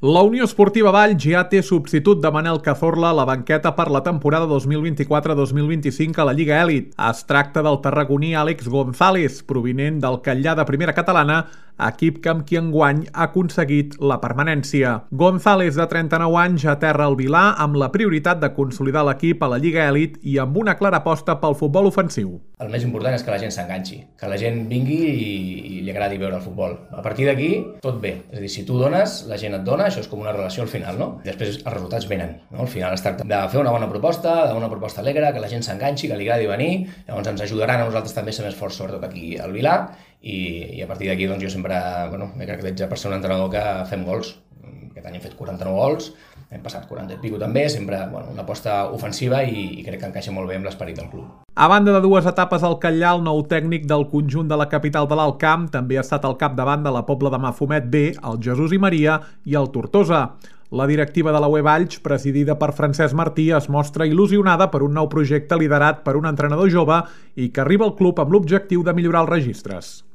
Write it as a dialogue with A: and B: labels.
A: La Unió Esportiva Valls ja té substitut de Manel Cazorla a la banqueta per la temporada 2024-2025 a la Lliga Elit. Es tracta del tarragoní Àlex González, provinent del Catllar de Primera Catalana, equip que amb qui enguany ha aconseguit la permanència. González, de 39 anys, aterra al Vilà amb la prioritat de consolidar l'equip a la Lliga Elit i amb una clara aposta pel futbol ofensiu.
B: El més important és que la gent s'enganxi, que la gent vingui i li agradi veure el futbol. A partir d'aquí, tot bé. És a dir, si tu dones, la gent et dona, això és com una relació al final, no? Després els resultats venen, no? Al final es tracta de fer una bona proposta, alegre, que la gent s'enganxi, que li agradi venir, llavors ens ajudaran a nosaltres també a ser més forts, sobretot aquí al Vilà, i a partir d'aquí doncs, jo sempre m'he caracteritzat per ser un entrenador que fem gols. Aquest any hem fet 49 gols, hem passat 40 i pico també, sempre una aposta ofensiva i crec que encaixa molt bé amb l'esperit del club.
A: A banda de dues etapes al Catllar, el nou tècnic del conjunt de la capital de l'Alt Camp també ha estat al capdavant de la Pobla de Mafumet B, el Jesús i Maria i el Tortosa. La directiva de la UE Valls, presidida per Francesc Martí, es mostra il·lusionada per un nou projecte liderat per un entrenador jove i que arriba al club amb l'objectiu de millorar els registres.